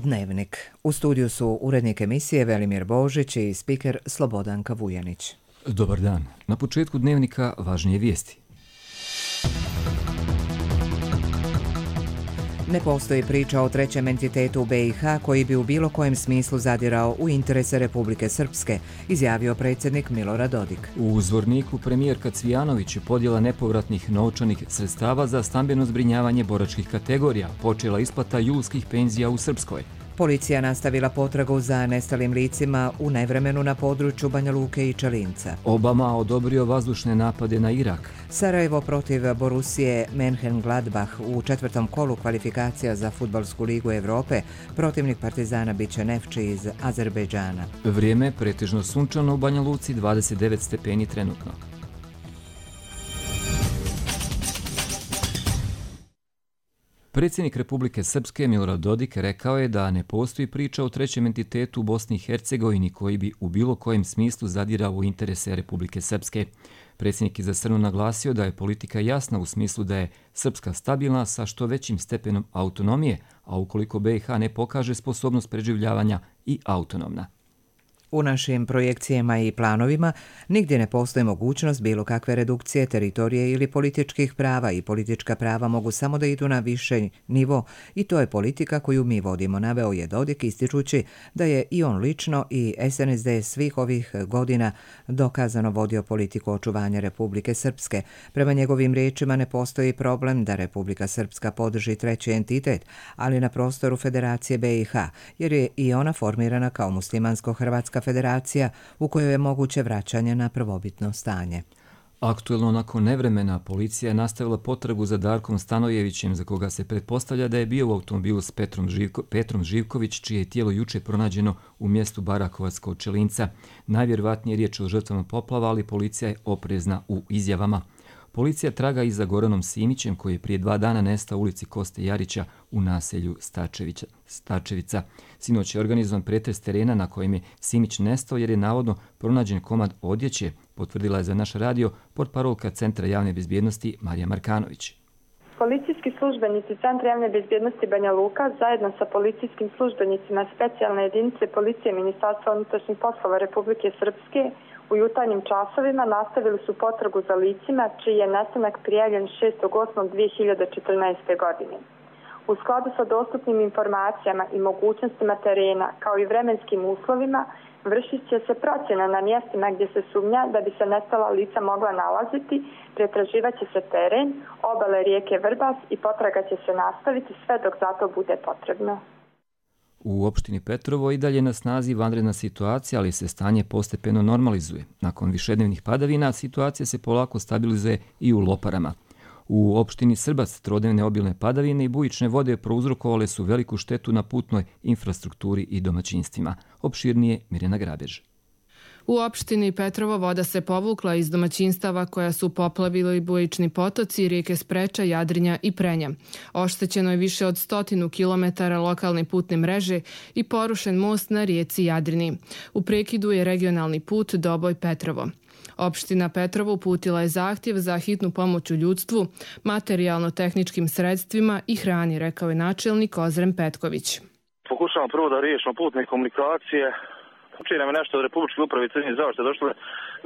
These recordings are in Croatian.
Dnevnik. U studiju su urednik emisije Velimir Božić i spiker Slobodanka Vujanić. Dobar dan. Na početku Dnevnika važnije vijesti. Ne postoji priča o trećem entitetu u BiH koji bi u bilo kojem smislu zadirao u interese Republike Srpske, izjavio predsjednik Milorad Dodik. U Zvorniku premijerka Cvijanović je podjela nepovratnih novčanih sredstava za stambeno zbrinjavanje boračkih kategorija, počela isplata julskih penzija u Srpskoj. Policija nastavila potragu za nestalim licima u nevremenu na području Banja Luke i Čelinca. Obama odobrio vazdušne napade na Irak. Sarajevo protiv Borusije Mönchengladbach u četvrtom kolu kvalifikacija za Fudbalsku ligu Evrope. Protivnik Partizana biće Nefči iz Azerbejdžana. Vrijeme pretežno sunčano u Banja Luci, 29 stepeni trenutno. Predsjednik Republike Srpske Milorad Dodik rekao je da ne postoji priča o trećem entitetu u Bosni i Hercegovini koji bi u bilo kojem smislu zadirao u interese Republike Srpske. Predsjednik je za Srnu naglasio da je politika jasna u smislu da je Srpska stabilna sa što većim stepenom autonomije, a ukoliko BiH ne pokaže sposobnost preživljavanja i autonomna. U našim projekcijama i planovima nigdje ne postoji mogućnost bilo kakve redukcije teritorije ili političkih prava i politička prava mogu samo da idu na više nivo i to je politika koju mi vodimo, naveo je Dodik ističući da je i on lično i SNSD svih ovih godina dokazano vodio politiku očuvanja Republike Srpske. Prema njegovim riječima ne postoji problem da Republika Srpska podrži treći entitet, ali na prostoru Federacije BiH, jer je i ona formirana kao muslimansko-hrvatska federacija u kojoj je moguće vraćanje na prvobitno stanje. Aktuelno nakon nevremena policija je nastavila potragu za Darkom Stanojevićem, za koga se pretpostavlja da je bio u automobilu s Petrom Živković, čije je tijelo juče pronađeno u mjestu Barakovac kod Čelinca. Najvjerovatnije je riječ o žrtvama poplava, ali policija je oprezna u izjavama. Policija traga i za Goranom Simićem, koji je prije 2 dana nestao u ulici Koste Jarića u naselju Stačevica. Sinoć je organizovan pretres terena na kojem je Simić nestao jer je navodno pronađen komad odjeće, potvrdila je za naš radio portparolka Centra javne bezbjednosti Marija Markanović. Policijski službenici Centra javne bezbjednosti Banja Luka zajedno sa policijskim službenicima specijalne jedinice policije Ministarstva unutrašnjih poslova Republike Srpske u jutarnjim časovima nastavili su potragu za licima čiji je nestanak prijavljen 6.8.2014. godine. U skladu sa dostupnim informacijama i mogućnostima terena kao i vremenskim uslovima vršit će se procjena na mjestima gdje se sumnja da bi se nestala lica mogla nalaziti, pretraživat će se teren, obale rijeke Vrbas i potraga će se nastaviti sve dok za to bude potrebno. U opštini Petrovo i dalje na snazi vanredna situacija, ali se stanje postepeno normalizuje. Nakon višednevnih padavina situacija se polako stabilizuje i u Loparama. U opštini Srbac trodnevne obilne padavine i bujične vode prouzrokovale su veliku štetu na putnoj infrastrukturi i domaćinstvima. Opširnije Mirjana Grabež. U opštini Petrovo voda se povukla iz domaćinstava koja su poplavili bujični potoci, rijeke Spreča, Jadrinja i Prenja. Oštećeno je više od 100 kilometara lokalne putne mreže i porušen most na rijeci Jadrini. U prekidu je regionalni put Doboj-Petrovo. Opština Petrovo uputila je zahtjev za hitnu pomoć u ljudstvu, materijalno-tehničkim sredstvima i hrani, rekao je načelnik Ozren Petković. Pokušavamo prvo da riješimo putne komunikacije. Učinimo nam je nešto od Republičke uprave civilne zaštite, došlo je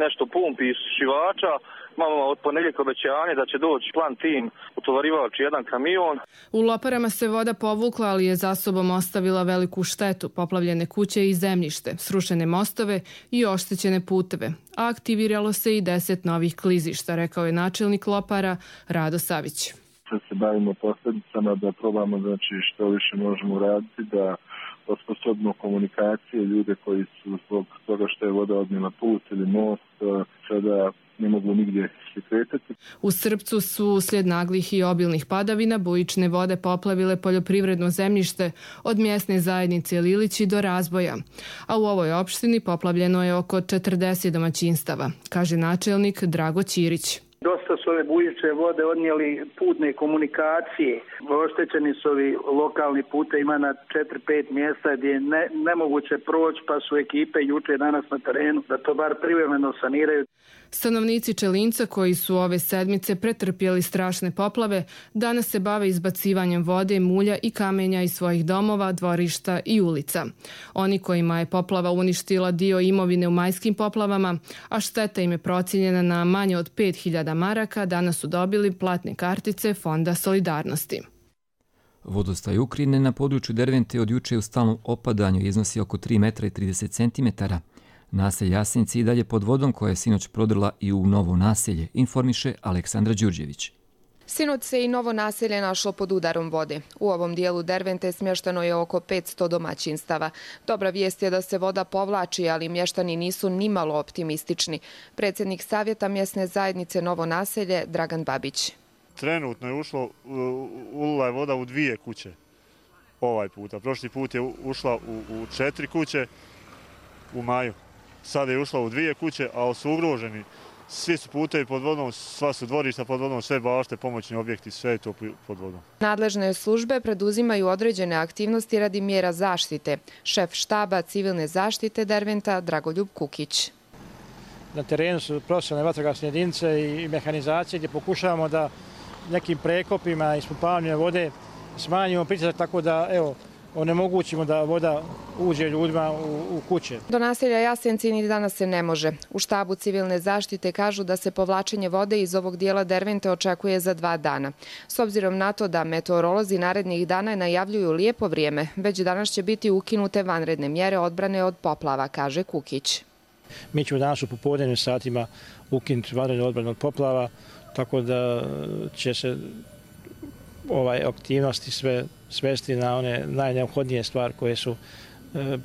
nešto pumpi i šivača. Imamo od ponedjeljka obećanje da će doći plan tim utovarivač jedan kamion. U Loparama se voda povukla, ali je za sobom ostavila veliku štetu, poplavljene kuće i zemljište, srušene mostove i oštećene puteve. A aktiviralo se i 10 novih klizišta, rekao je načelnik Lopara Rado Savić. Se bavimo posljedicama, da probamo što više možemo raditi, da osposobimo komunikacije, ljude koji su zbog toga što je voda odnijela put ili most, sada ne mogu nigdje se kretati. U Srpcu su uslijed naglih i obilnih padavina bujične vode poplavile poljoprivredno zemljište od mjesne zajednice Lilići do Razboja. A u ovoj opštini poplavljeno je oko 40 domaćinstava, kaže načelnik Drago Ćirić. Dosta su ove bujične vode odnijeli putne komunikacije. Oštećeni su ovi lokalni pute, ima na 4-5 mjesta gdje je nemoguće proći, pa su ekipe juče danas na terenu da to bar privremeno saniraju. Stanovnici Čelinca koji su ove sedmice pretrpjeli strašne poplave, danas se bave izbacivanjem vode, mulja i kamenja iz svojih domova, dvorišta i ulica. Oni kojima je poplava uništila dio imovine u majskim poplavama, a šteta im je procijenjena na manje od 5.000 maraka, danas su dobili platne kartice Fonda solidarnosti. Vodostaj Ukrajine na području Dervente od juče u stalnom opadanju iznosi oko 3 metra i 30 centimetara. Naselje Jasenci i dalje pod vodom koja je sinoć prodrla i u novo naselje, informiše Aleksandra Đurđević. Sinoć se i novo naselje našlo pod udarom vode. U ovom dijelu Dervente smješteno je oko 500 domaćinstava. Dobra vijest je da se voda povlači, ali mještani nisu nimalo optimistični. Predsjednik Savjeta mjesne zajednice Novo naselje, Dragan Babić. Trenutno je ulila je voda u 2 kuće ovaj puta. Prošli put je ušla u 4 kuće u maju. Sada je ušla u 2 kuće, a su ugroženi. Svi su putevi pod vodom, sva su dvorišta pod vodom, sve bašte, pomoćni objekti, sve je to pod vodom. Nadležne službe preduzimaju određene aktivnosti radi mjera zaštite. Šef štaba civilne zaštite Derventa Dragoljub Kukić. Na terenu su profesionalne vatrogasne jedinice i mehanizacije gdje pokušavamo da nekim prekopima i ispumpavanjem vode smanjimo pritisak tako da onemogućimo da voda uđe ljudima u kuće. Do naselja Jasenci ni danas se ne može. U štabu civilne zaštite kažu da se povlačenje vode iz ovog dijela Dervente očekuje za 2 dana. S obzirom na to da meteorolozi narednih dana najavljuju lijepo vrijeme, već danas će biti ukinute vanredne mjere odbrane od poplava, kaže Kukić. Mi ćemo danas u popodnevnim satima ukinuti vanredne odbrane od poplava, tako da će se aktivnosti sve svesti na one najneophodnije stvari koje su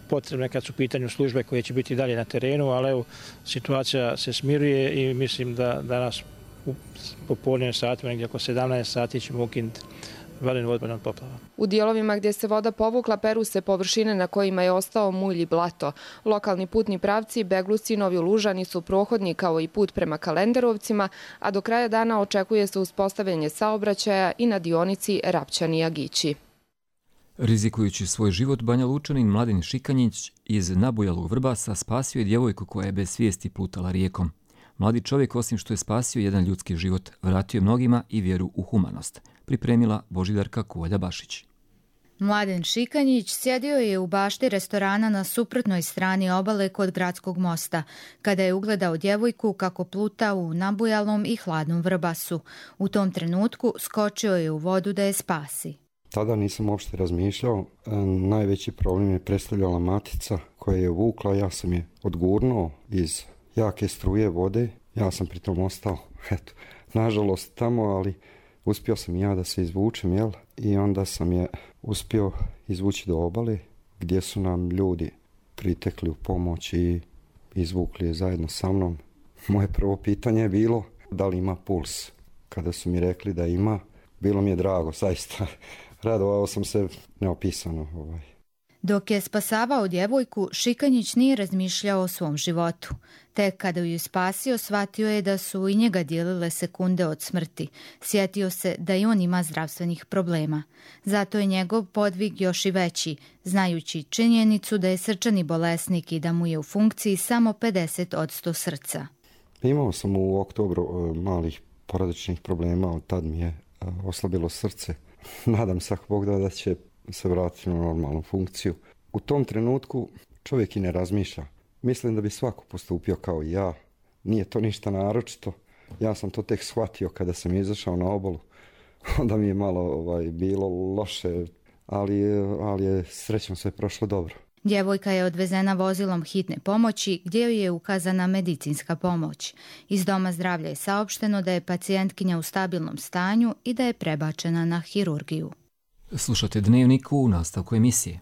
potrebne kad su u pitanju službe koje će biti dalje na terenu, ali situacija se smiruje i mislim da danas u popodnevnim satima, negdje oko 17 sati ćemo ukinuti vanrednu odbranu od poplava. U dijelovima gdje se voda povukla peru se površine na kojima je ostao mulj i blato. Lokalni putni pravci Begluci i Novi Lužani su prohodni kao i put prema Kalenderovcima, a do kraja dana očekuje se uspostavljanje saobraćaja i na dionici Rapčani-Agići. Rizikujući svoj život, Banja Lučanin Mladen Šikanjić iz nabujalog Vrbasa spasio je djevojku koja je bez svijesti plutala rijekom. Mladi čovjek, osim što je spasio jedan ljudski život, vratio je mnogima i vjeru u humanost. Pripremila Božidarka Kuvalja-Bašić. Mladen Šikanjić sjedio je u bašti restorana na suprotnoj strani obale kod Gradskog mosta, kada je ugledao djevojku kako pluta u nabujalom i hladnom Vrbasu. U tom trenutku skočio je u vodu da je spasi. Tada nisam uopšte razmišljao. Najveći problem je predstavljala matica koja je vukla. Ja sam je odgurnuo iz jake struje vode. Ja sam pritom ostao, nažalost tamo, ali uspio sam ja da se izvučem, i onda sam je uspio izvući do obale gdje su nam ljudi pritekli u pomoć i izvukli je zajedno sa mnom. Moje prvo pitanje je bilo da li ima puls. Kada su mi rekli da ima, bilo mi je drago, zaista. Radovao sam se neopisano. Dok je spasavao djevojku, Šikanjić nije razmišljao o svom životu. Tek kada ju spasio, shvatio je da su i njega dijelile sekunde od smrti. Sjetio se da i on ima zdravstvenih problema. Zato je njegov podvig još i veći, znajući činjenicu da je srčani bolesnik i da mu je u funkciji samo 50% srca. Imao sam u oktobru malih porodičnih problema, od tad mi je oslabilo srce. Nadam se, ako Bog da će se vratiti na normalnu funkciju. U tom trenutku čovjek i ne razmišlja. Mislim da bi svako postupio kao i ja. Nije to ništa naročito. Ja sam to tek shvatio kada sam izašao na obalu. Onda mi je malo bilo loše, ali je srećom sve prošlo dobro. Djevojka je odvezena vozilom hitne pomoći gdje joj je ukazana medicinska pomoć. Iz doma zdravlja je saopšteno da je pacijentkinja u stabilnom stanju i da je prebačena na hirurgiju. Slušate Dnevnik u nastavku emisije.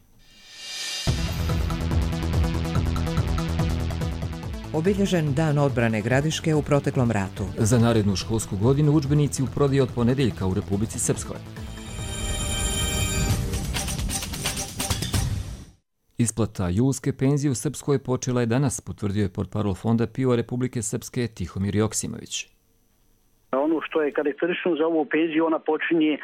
Obilježen dan odbrane Gradiške u proteklom ratu. Za narednu školsku godinu udžbenici u prodaji od ponedjeljka u Republici Srpskoj. Isplata julske penzije u Srpskoj počela je danas, potvrdio je portparol Fonda PIO Republike Srpske Tihomir Joksimović. Ono što je karakteristično za ovu penziju, ona počinje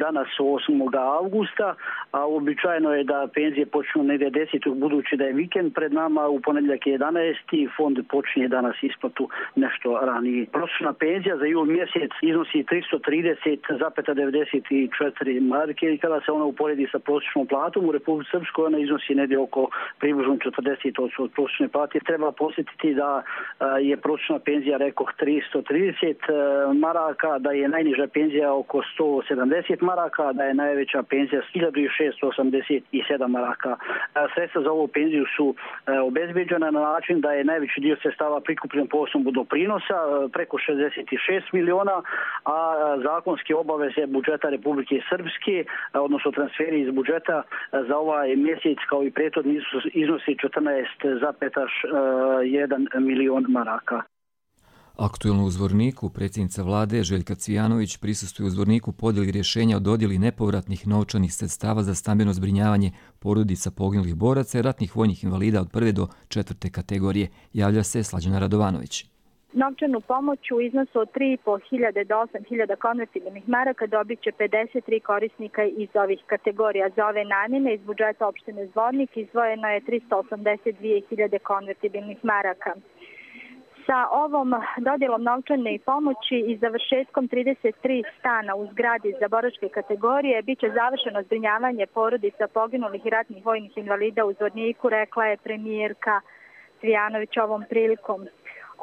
danas 8. avgusta, a uobičajeno je da penzije počnu negdje 10. budući da je vikend pred nama, u ponedjeljak je 11. Fond počinje danas isplatu nešto ranije. Prosječna penzija za jul mjesec iznosi 330,94 marke i kada se ona uporedi sa prosječnom platom u Republici Srpskoj, ona iznosi negdje oko približno 40% od prosječne plate. Treba posjetiti da je prosječna penzija, rekoh, 330 maraka, da je najniža penzija oko 170 maraka, da je najveća penzija 1687 maraka. Sredstva za ovu penziju su obezbeđena na način da je najveći dio sredstava prikupljen po osnovu doprinosa, preko 66 miliona, a zakonske obaveze budžeta Republike Srpske, odnosno transferi iz budžeta za ovaj mjesec kao i prethodni iznosi 14,1 milion maraka. Aktuelno u Zvorniku predsjednica vlade Željka Cvijanović prisustvuje u Zvorniku podjeli rješenja o dodjeli nepovratnih novčanih sredstava za stambeno zbrinjavanje porodica poginulih boraca i ratnih vojnih invalida od 1. do 4. kategorije. Javlja se Slađana Radovanović. Novčanu pomoć u iznosu od 3.500 do 8.000 konvertibilnih maraka dobit će 53 korisnika iz ovih kategorija. Za ove namjene iz budžeta opštine Zvornik izdvojeno je 382.000 konvertibilnih maraka. Sa ovom dodjelom novčane pomoći i završetkom 33 stana u zgradi za boračke kategorije biće završeno zbrinjavanje porodica poginulih i ratnih vojnih invalida u Zvorniku, rekla je premijerka Cvijanović ovom prilikom.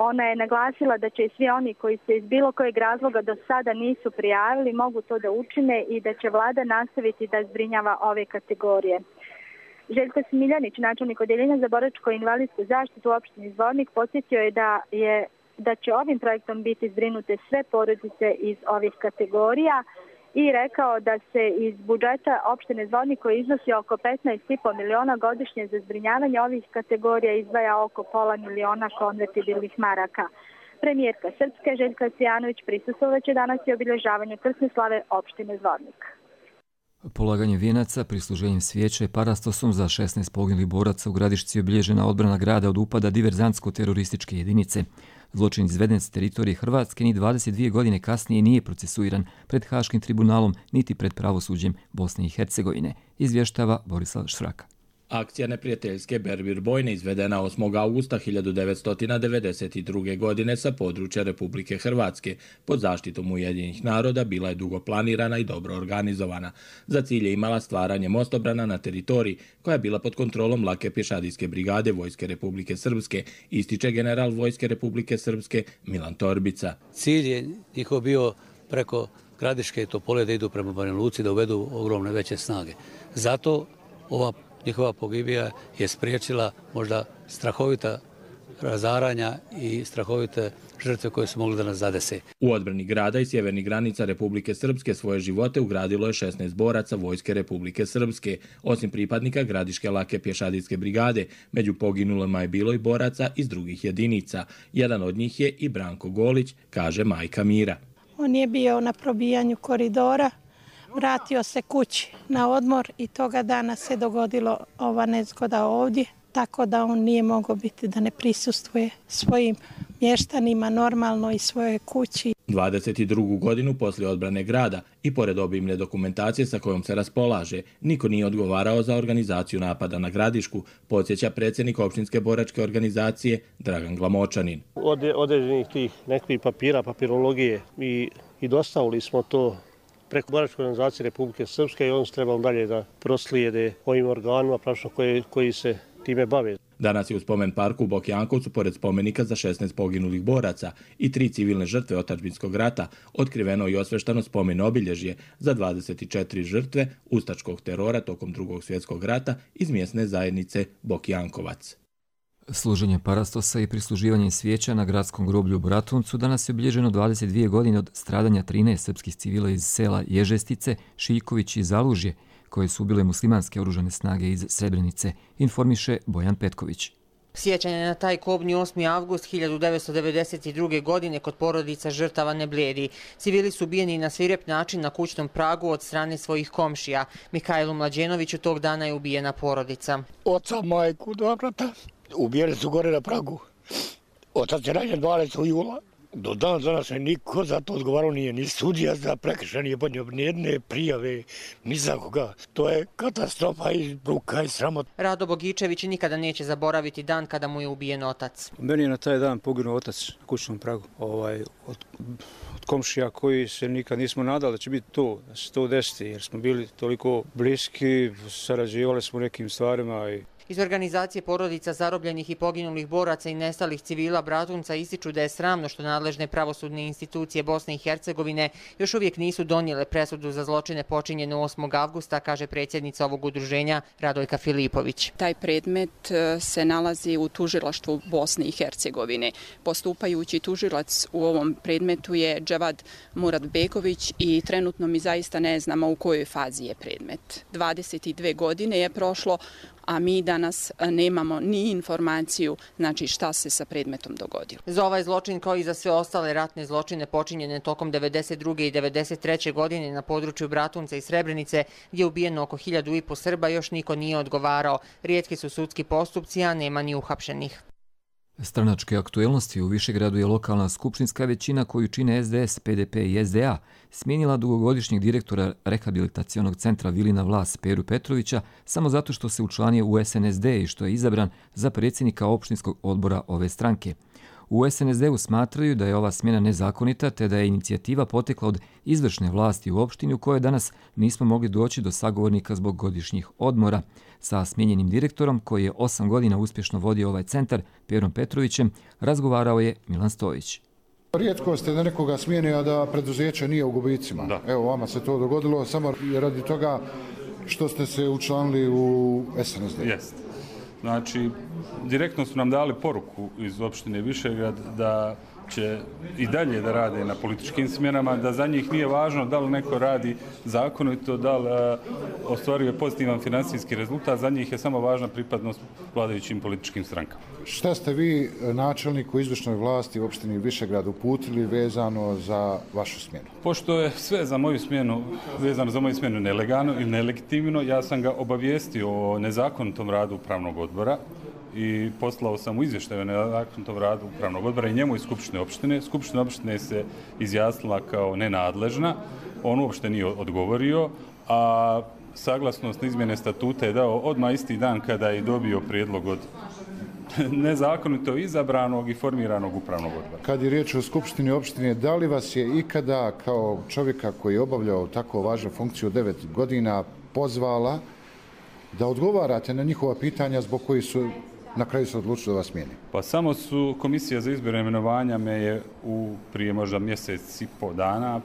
Ona je naglasila da će i svi oni koji se iz bilo kojeg razloga do sada nisu prijavili mogu to da učine i da će vlada nastaviti da zbrinjava ove kategorije. Željko Smiljanić, načelnik Odeljenja za boračko i invalidsku zaštitu u opštini Zvornik, podsjetio je da će ovim projektom biti zbrinute sve porodice iz ovih kategorija i rekao da se iz budžeta opštine Zvornik, koji iznosi oko 15,5 miliona godišnje za zbrinjavanje ovih kategorija, izdvaja oko pola miliona konvertibilnih maraka. Premijerka Srpske Željka Cvijanović prisustvovaće danas i obilježavanje krsne slave opštine Zvornik. Polaganje vijenaca, prisluženjem svijeća i parastosom za 16 poginulih boraca u Gradišci je obilježena odbrana grada od upada diverzantsko-terorističke jedinice. Zločin izveden s teritorije Hrvatske ni 22 godine kasnije nije procesuiran pred Haškim tribunalom niti pred pravosuđem Bosne i Hercegovine, izvještava Borislav Švraka. Akcija neprijateljske Berbir bojne izvedena 8. augusta 1992. godine sa područja Republike Hrvatske pod zaštitom Ujedinjenih naroda bila je dugo planirana i dobro organizovana. Za cilj je imala stvaranje mostobrana na teritoriji koja je bila pod kontrolom lake pješadijske brigade Vojske Republike Srpske, ističe general Vojske Republike Srpske Milan Torbica. Cilj je njihov bio preko Gradiške i Topole da idu prema Banja Luci, da uvedu ogromne veće snage. Zato ova njihova pogibija je spriječila možda strahovita razaranja i strahovite žrtve koje su mogli da nas zadese. U odbrani grada i sjevernih granica Republike Srpske svoje živote ugradilo je 16 boraca Vojske Republike Srpske. Osim pripadnika Gradiške lake pješadijske brigade, među poginulima je bilo i boraca iz drugih jedinica. Jedan od njih je i Branko Golić, kaže majka Mira. On je bio na probijanju koridora, vratio se kući na odmor i toga dana se dogodilo ova nezgoda ovdje, tako da on nije mogao biti da ne prisustvuje svojim mještanima normalno i svojoj kući. 22. godinu poslije odbrane grada i pored obimne dokumentacije sa kojom se raspolaže, niko nije odgovarao za organizaciju napada na Gradišku, podsjeća predsjednik opštinske boračke organizacije Dragan Glamočanin. Od određenih tih nekih papira, papirologije i dostavili smo to preko boračke organizacije Republike Srpske i on se trebalo dalje da proslijede ovim organima koji se time bave. Danas je u spomen parku u Bokjankovcu, pored spomenika za 16 poginulih boraca i 3 civilne žrtve otadžbinskog rata, otkriveno i osveštano spomen obilježje za 24 žrtve ustaškog terora tokom Drugog svjetskog rata iz mjesne zajednice Bokjankovac. Služenje parastosa i prisluživanje svijeća na gradskom groblju u Bratuncu danas je obilježeno 22 godine od stradanja 13 srpskih civila iz sela Ježestice, Šiljković i Zalužje, koje su ubile muslimanske oružane snage iz Srebrenice, informiše Bojan Petković. Sjećanje na taj kobni 8. avgust 1992. godine kod porodica žrtava ne blijedi. Civili su ubijeni na svirep način na kućnom pragu od strane svojih komšija. Mihajlu Mlađenoviću tog dana je ubijena porodica. Oca, majku, dva brata, ubijeni su gore na pragu. Otac je ranjen 12. jula Do danas niko za to odgovarao nije, ni sudija za prekršaj nije podnio ni jedne prijave, ni za koga. To je katastrofa i bruka i sramot. Rado Bogičević nikada neće zaboraviti dan kada mu je ubijen otac. Meni je na taj dan poginuo otac na kućnom pragu. Od komšija koji se nikad nismo nadali da će biti to, da se to desiti, jer smo bili toliko bliski, sarađivali smo nekim stvarima. Iz organizacije porodica zarobljenih i poginulih boraca i nestalih civila Bratunca ističu da je sramno što nadležne pravosudne institucije Bosne i Hercegovine još uvijek nisu donijele presudu za zločine počinjene 8. avgusta, kaže predsjednica ovog udruženja Radojka Filipović. Taj predmet se nalazi u tužilaštvu Bosne i Hercegovine. Postupajući tužilac u ovom predmetu je Dževad Muratbegović i trenutno mi zaista ne znamo u kojoj fazi je predmet. 22 godine je prošlo, a mi danas nemamo ni informaciju šta se sa predmetom dogodilo. Za ovaj zločin, kao i za sve ostale ratne zločine počinjene tokom 92. i 93. godine na području Bratunca i Srebrenice, gdje je ubijeno oko 1500 Srba, još niko nije odgovarao. Rijetki su sudski postupci, a nema ni uhapšenih. Stranačke aktuelnosti u Višegradu je lokalna skupštinska većina koju čine SDS, PDP i SDA smijenila dugogodišnjeg direktora rehabilitacionog centra Vilina Vlas Peru Petrovića samo zato što se učlanio u SNSD i što je izabran za predsjednika opštinskog odbora ove stranke. U SNSD-u smatraju da je ova smjena nezakonita te da je inicijativa potekla od izvršne vlasti u opštini u kojoj danas nismo mogli doći do sagovornika zbog godišnjih odmora. Sa smijenjenim direktorom, koji je 8 godina uspješno vodio ovaj centar, Perom Petrovićem, razgovarao je Milan Stojić. Rijetko ste da nekoga smijeni, a da preduzeće nije u gubicima. Da. Evo, vama se to dogodilo samo radi toga što ste se učlanili u SNSD. Jeste. Znači, direktno su nam dali poruku iz opštine Višegrad da će i dalje da rade na političkim smjenama, da za njih nije važno da li neko radi zakonito, da li ostvaruje pozitivan financijski rezultat, za njih je samo važna pripadnost vladajućim političkim strankama. Šta ste vi načelniku izvršnoj vlasti u opštini Višegrad uputili vezano za vašu smjenu? Pošto je sve za moju smjenu, vezano za moju smjenu nelegalno i nelegitimno, ja sam ga obavijestio o nezakonitom radu upravnog odbora i poslao sam u izvještaju o nezakonitom radu upravnog odbora i njemu iz Skupštine opštine. Skupština opštine se izjasnila kao nenadležna, on uopšte nije odgovorio, a saglasnost na izmjene statuta je dao odmah isti dan kada je dobio prijedlog od nezakonito izabranog i formiranog upravnog odbora. Kad je riječ o Skupštini opštine, da li vas je ikada kao čovjeka koji je obavljao tako važnu funkciju 9 godina pozvala da odgovarate na njihova pitanja zbog koji su na kraju se odlučili da vas smijeni? Pa samo su Komisija za izbor i imenovanja me je prije možda mjesec i po dana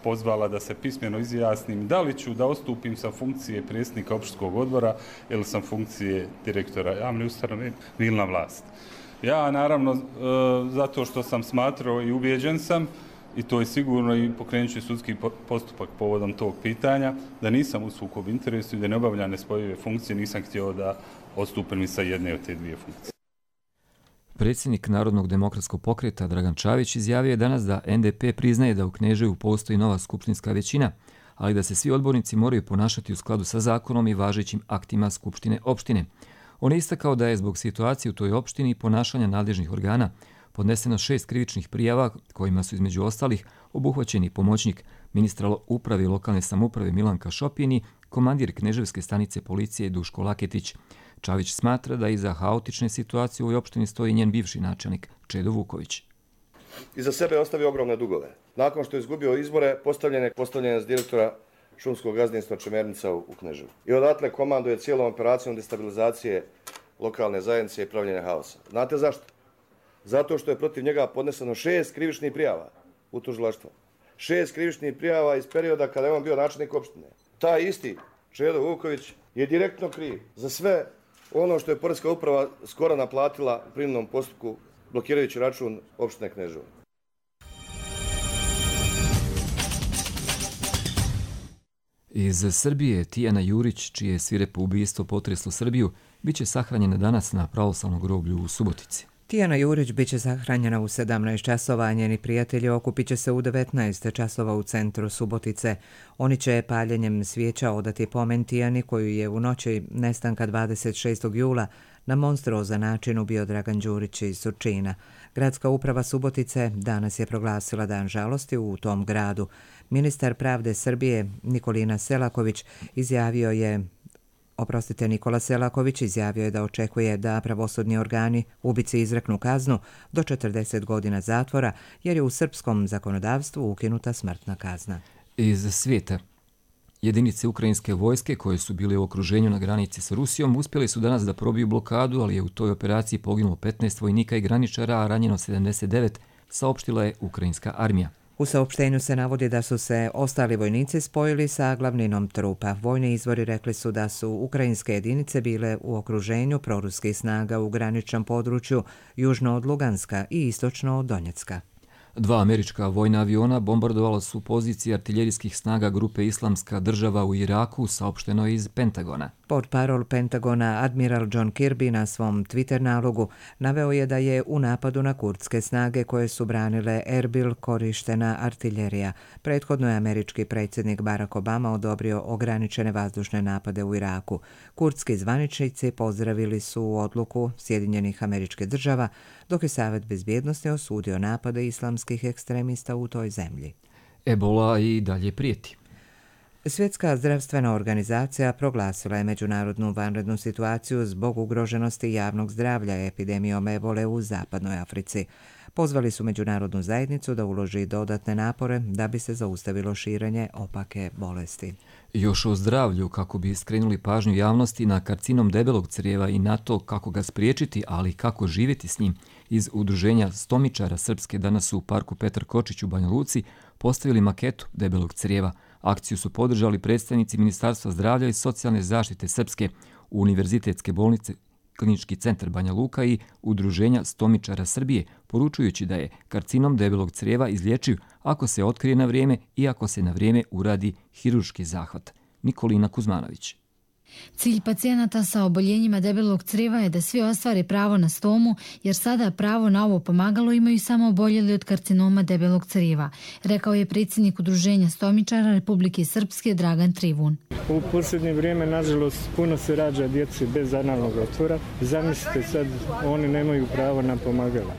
pozvala da se pismeno izjasnim da li ću da odstupim sa funkcije predsjednika opštinskog odbora ili sam funkcije direktora javne ustanove Vilina Vlast. Ja naravno zato što sam smatrao i ubijeđen sam, i to je sigurno i pokrenut ću sudski postupak povodom tog pitanja, da nisam u sukobu interesu i da ne obavljam nespojive funkcije, nisam htio da odstupim sa jedne od te dvije funkcije. Predsjednik Narodnog demokratskog pokreta Dragan Čavić izjavio je danas da NDP priznaje da u Kneževu postoji nova skupštinska većina, ali da se svi odbornici moraju ponašati u skladu sa zakonom i važećim aktima Skupštine opštine. On je istakao da je zbog situacije u toj opštini i ponašanja nadležnih organa podneseno 6 krivičnih prijava kojima su između ostalih obuhvaćeni pomoćnik ministra uprave i lokalne samouprave Milanka Šopin i komandir Kneževske stanice policije Duško Laketić. Čavić smatra da iza haotične situacije u ovoj opštini stoji njen bivši načelnik Čedo Vuković. Iza sebe je ostavio ogromne dugove. Nakon što je izgubio izbore, postavljen je s direktora šumskog gazdinstva Čemernica u Kneževu. I odatle komanduje cijelom operacijom destabilizacije lokalne zajednice i pravljenja haosa. Znate zašto? Zato što je protiv njega podneseno 6 krivičnih prijava u tužilaštvo. 6 krivičnih prijava iz perioda kada je on bio načelnik opštine. Taj isti Čedo Vuković je direktno kriv za sve ono što je Poreska uprava skoro naplatila u prinudnom postupku blokirajući račun opštine Kneževo. Iz Srbije Tijana Jurić, čije svirepo ubistvo potreslo Srbiju, bit će sahranjena danas na pravoslavnom groblju u Subotici. Tijana Jurić biće sahranjena u 17 časova, a njeni prijatelji okupit će se u 19 časova u centru Subotice. Oni će paljenjem svijeća odati pomen Tijani koju je u noći nestanka 26. jula na monstruozan način ubio Dragan Đurić iz Surčina. Gradska uprava Subotice danas je proglasila dan žalosti u tom gradu. Ministar pravde Srbije Nikola Selaković izjavio je da očekuje da pravosudni organi ubici izreknu kaznu do 40 godina zatvora, jer je u srpskom zakonodavstvu ukinuta smrtna kazna. Iz svijeta. Jedinice ukrajinske vojske koje su bile u okruženju na granici sa Rusijom uspjeli su danas da probiju blokadu, ali je u toj operaciji poginulo 15 vojnika i graničara, a ranjeno 79, saopštila je ukrajinska armija. U saopštenju se navodi da su se ostali vojnici spojili sa glavninom trupa. Vojni izvori rekli su da su ukrajinske jedinice bile u okruženju proruskih snaga u graničnom području južno od Luganska i istočno od Donjecka. 2 američka vojna aviona bombardovala su pozicije artiljerijskih snaga grupe Islamska država u Iraku, saopšteno iz Pentagona. Portparol Pentagona admiral John Kirby na svom Twitter nalogu naveo je da je u napadu na kurdske snage koje su branile Erbil korištena artiljerija. Prethodno je američki predsjednik Barack Obama odobrio ograničene vazdušne napade u Iraku. Kurdski zvaničnici pozdravili su odluku Sjedinjenih Američkih Država, dok je Savet bezbjednosti osudio napade islamskih ekstremista u toj zemlji. Ebola i dalje prijeti. Svjetska zdravstvena organizacija proglasila je međunarodnu vanrednu situaciju zbog ugroženosti javnog zdravlja epidemijom ebole u zapadnoj Africi. Pozvali su međunarodnu zajednicu da uloži dodatne napore da bi se zaustavilo širenje opake bolesti. Još o zdravlju, kako bi skrenuli pažnju javnosti na karcinom debelog crijeva i na to kako ga spriječiti, ali kako živjeti s njim, iz Udruženja stomičara Srpske danas su u parku Petar Kočić u Banja Luci postavili maketu debelog crijeva. Akciju su podržali predstavnici Ministarstva zdravlja i socijalne zaštite Srpske, Univerzitetske bolnice, Klinički centar Banja Luka i Udruženja stomičara Srbije, poručujući da je karcinom debelog crijeva izlječiv ako se otkrije na vrijeme i ako se na vrijeme uradi hirurški zahvat. Nikolina Kuzmanović. Cilj pacijenata sa oboljenjima debelog crijeva je da svi ostvare pravo na stomu, jer sada pravo na ovo pomagalo imaju samo oboljeli od karcinoma debelog crijeva, rekao je predsjednik Udruženja stomičara Republike Srpske Dragan Trivun. U posljednje vrijeme, nažalost, puno se rađa djece bez analnog otvora. Zamislite sad, oni nemaju pravo na pomagala.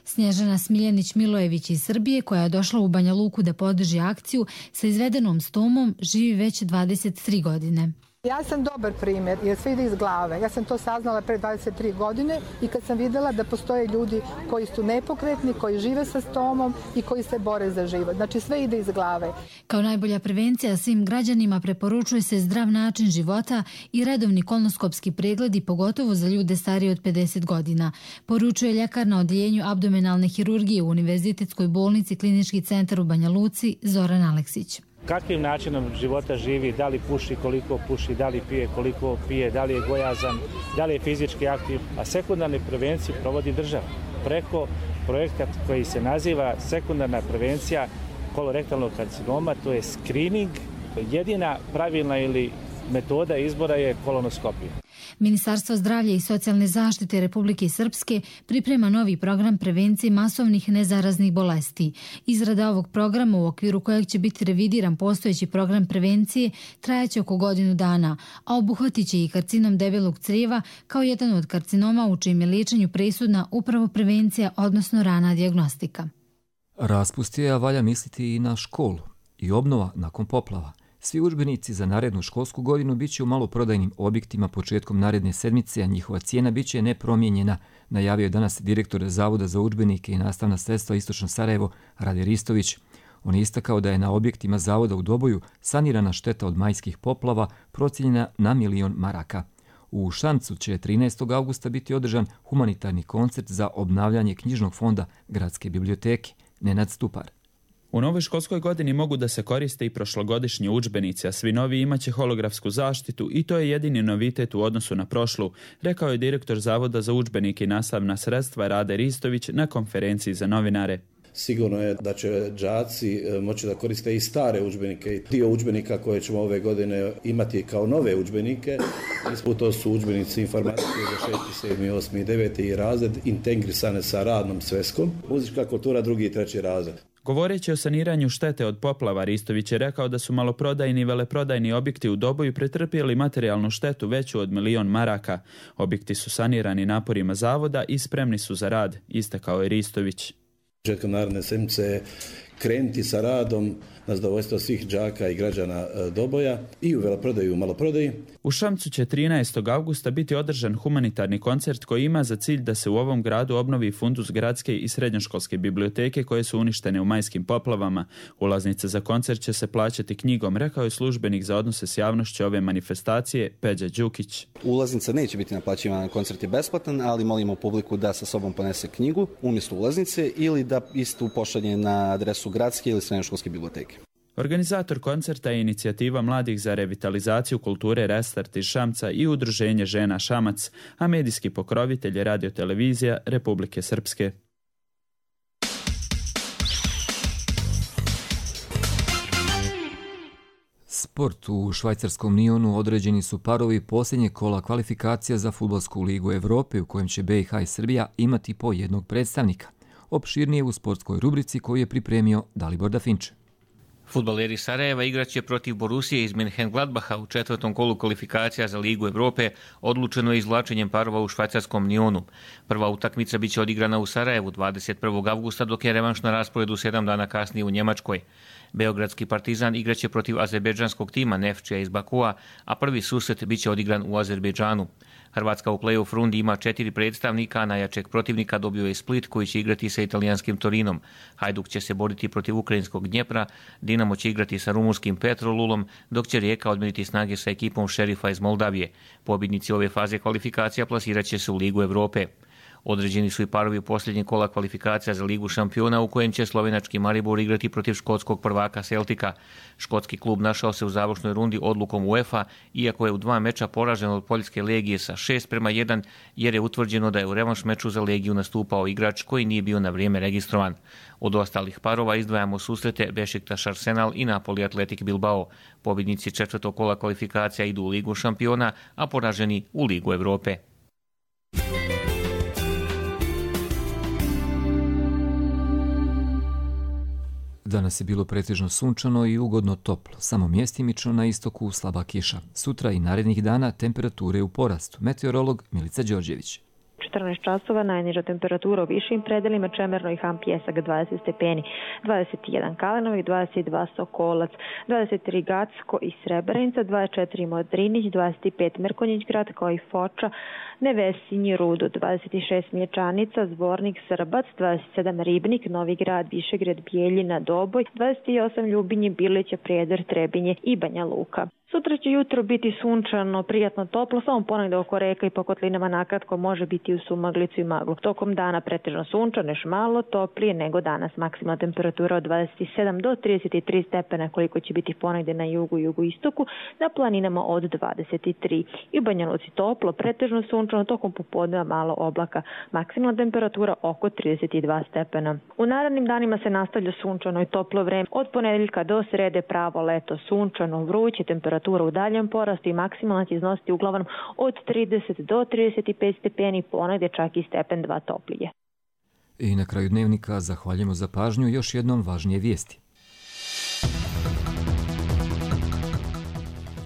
Snježana Smiljanić-Milojević iz Srbije, koja je došla u Banja Luku da podrži akciju sa izvedenom stomom, živi već 23 godine. Ja sam dobar primjer jer sve ide iz glave. Ja sam to saznala pre 23 godine i kad sam vidjela da postoje ljudi koji su nepokretni, koji žive sa stomom i koji se bore za život. Znači sve ide iz glave. Kao najbolja prevencija svim građanima preporučuje se zdrav način života i redovni kolonoskopski pregledi, pogotovo za ljude starije od 50 godina. Poručuje ljekar na odjeljenju abdomenalne hirurgije u Univerzitetskoj bolnici Klinički centar u Banja Luci Zoran Aleksić. Kakvim načinom života živi, da li puši, koliko puši, da li pije, koliko pije, da li je gojazan, da li je fizički aktiv, a sekundarne prevencije provodi država preko projekta koji se naziva sekundarna prevencija kolorektalnog karcinoma, to je screening, jedina pravilna ili metoda izbora je kolonoskopija. Ministarstvo zdravlja i socijalne zaštite Republike Srpske priprema novi program prevencije masovnih nezaraznih bolesti. Izrada ovog programa, u okviru kojeg će biti revidiran postojeći program prevencije, trajaće oko godinu dana, a obuhvatit će i karcinom debelog crijeva kao jedan od karcinoma u čijem je liječenju presudna upravo prevencija, odnosno rana dijagnostika. Raspust je, a valja misliti i na školu i obnova nakon poplava. Svi udžbenici za narednu školsku godinu biće u maloprodajnim objektima početkom naredne sedmice, a njihova cijena biće nepromijenjena, najavio je danas direktor Zavoda za udžbenike i nastavna sredstva Istočno Sarajevo Rade Ristović. On je istakao da je na objektima Zavoda u Doboju sanirana šteta od majskih poplava procijenjena na 1 milion maraka. U Šancu će 13. augusta biti održan humanitarni koncert za obnavljanje knjižnog fonda Gradske biblioteke. Nenad Stupar. U novoj školskoj godini mogu da se koriste i prošlogodišnji udžbenici, a svi novi imaće holografsku zaštitu i to je jedini novitet u odnosu na prošlu, rekao je direktor Zavoda za udžbenike i nastavna sredstva Rade Ristović na konferenciji za novinare. sigurno je da će đaci moći da koriste i stare udžbenike. Dio udžbenika koje ćemo ove godine imati kao nove udžbenike, to su udžbenici informatike za 6., 7., 8. i 9. razred, integrisane sa radnom sveskom, muzička kultura 2. i 3. razred. Govoreći o saniranju štete od poplava, Ristović je rekao da su maloprodajni i veleprodajni objekti u Doboju pretrpjeli materijalnu štetu veću od 1.000.000 maraka. Objekti su sanirani naporima zavoda i spremni su za rad, istakao je Ristović. Početkom naredne sedmice krenuti sa radom na zadovoljstvo svih đaka i građana Doboja i u veleprodaji i u maloprodaji. U Šamcu će 13. avgusta biti održan humanitarni koncert koji ima za cilj da se u ovom gradu obnovi fundus gradske i srednjoškolske biblioteke koje su uništene u majskim poplavama. Ulaznice za koncert će se plaćati knjigom, rekao je službenik za odnose s javnošću ove manifestacije Peđa Đukić. Ulaznica neće biti naplaćivana, koncert je besplatan, ali molimo publiku da sa sobom ponese knjigu umjesto ulaznice ili da istu pošalje na adresu gradske ili srednjoškolske biblioteke. Organizator koncerta je inicijativa mladih za revitalizaciju kulture Restart iz Šamca i Udruženje žena Šamac, a medijski pokrovitelj je radiotelevizija Republike Srpske. Sport. U švajcarskom Nionu određeni su parovi posljednjeg kola kvalifikacija za Fudbalsku ligu Evrope u kojem će BiH i Srbija imati po jednog predstavnika. Opširnije u sportskoj rubrici koju je pripremio Dalibor Dafinče. Fudbaleri Sarajeva igraće protiv Borusije iz Mönchengladbacha u 4. kolu kvalifikacija za Ligu Evrope, odlučeno je izvlačenjem parova u švajcarskom Nionu. Prva utakmica biće odigrana u Sarajevu 21. avgusta, dok je revanš na rasporedu 7 dana kasnije u Njemačkoj. Beogradski Partizan igraće protiv azerbejdžanskog tima Nefčija iz Bakua, a prvi susret biće odigran u Azerbejdžanu. Hrvatska u play-off rundi ima 4 predstavnika, a najjačeg protivnika dobio je Split koji će igrati sa italijanskim Torinom. Hajduk će se boriti protiv ukrajinskog Dnjepra, Dinamo će igrati sa rumunskim Petrolulom, dok će Rijeka odmjeriti snage sa ekipom Šerifa iz Moldavije. Pobjednici ove faze kvalifikacija plasirat će se u Ligu Evrope. Određeni su i parovi posljednjeg kola kvalifikacija za Ligu šampiona u kojem će slovenački Maribor igrati protiv škotskog prvaka Celtica. Škotski klub našao se u završnoj rundi odlukom UEFA, iako je u 2 meča poražen od Poljske Legije sa 6:1, jer je utvrđeno da je u revanš meču za Legiju nastupao igrač koji nije bio na vrijeme registrovan. Od ostalih parova izdvajamo susrete Bešiktaš Arsenal i Napoli Atletik Bilbao. Pobjednici 4. kola kvalifikacija idu u Ligu šampiona, a poraženi u Ligu Evrope. Danas je bilo pretežno sunčano i ugodno toplo, samo mjestimično na istoku slaba kiša. Sutra i narednih dana temperature u porastu. Meteorolog Milica Đorđević. 14 časova, najniža temperatura u višim predelima, Čemerno i Han Pjesak 20 stepeni, 21 Kalenovik, 22 Sokolac, 23 Gacko i Srebrenica, 24 Modrinić, 25 Mrkonjić grad kao i Foča, Nevesinji, Rudo, 26 Mlječanica, Zvornik, Srbac, 27 Ribnik, Novi grad, Višegrad, Bijeljina, Doboj, 28 Ljubinje, Bilića, Prijedor, Trebinje i Banja Luka. Sutra će jutro biti sunčano, prijatno toplo, samo ponegdje oko reka i po kotlinama nakratko može biti u sumaglicu i maglu. Tokom dana pretežno sunčano, još malo toplije nego danas. Maksimalna temperatura od 27 do 33 stepena koliko će biti ponegdje na jugu i jugoistoku, na planinama od 23. I u Banja Luci toplo, pretežno sunčano, tokom popodneva malo oblaka. Maksimalna temperatura oko 32 stepena. U narednim danima se nastavlja sunčano i toplo vreme. Od ponedjeljka do srede pravo leto, sunčano, vruće, temperatura u daljem porastu i maksimalna će iznositi uglavnom od 30 do 35 stepeni, ponegdje čak i stepen 2 toplije. I na kraju dnevnika zahvaljujemo za pažnju, još jednom važnije vijesti.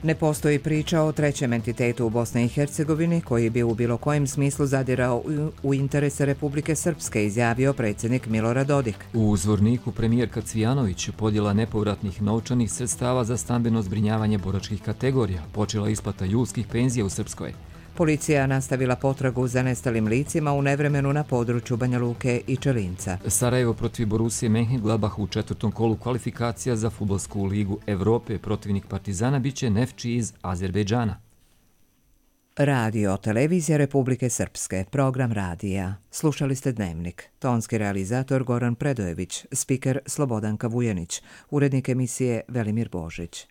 Ne postoji priča o trećem entitetu u Bosni i Hercegovini koji bi u bilo kojem smislu zadirao u interese Republike Srpske, izjavio predsjednik Milorad Dodik. U Zvorniku premijerka Cvijanović podjela nepovratnih novčanih sredstava za stambeno zbrinjavanje boračkih kategorija, počela isplata julskih penzija u Srpskoj. Policija nastavila potragu za nestalim licima u nevremenu na području Banja Luke i Čelinca. Sarajevo protiv Borusije Mönchengladbach u 4. kolu kvalifikacija za Fudbalsku ligu Evrope. Protivnik Partizana biće Nefči iz Azerbejdžana. Radio televizija Republike Srpske, program radija. Slušali ste Dnevnik. Tonski realizator Goran Predojević, spiker Slobodanka Vujanić, urednik emisije Velimir Božić.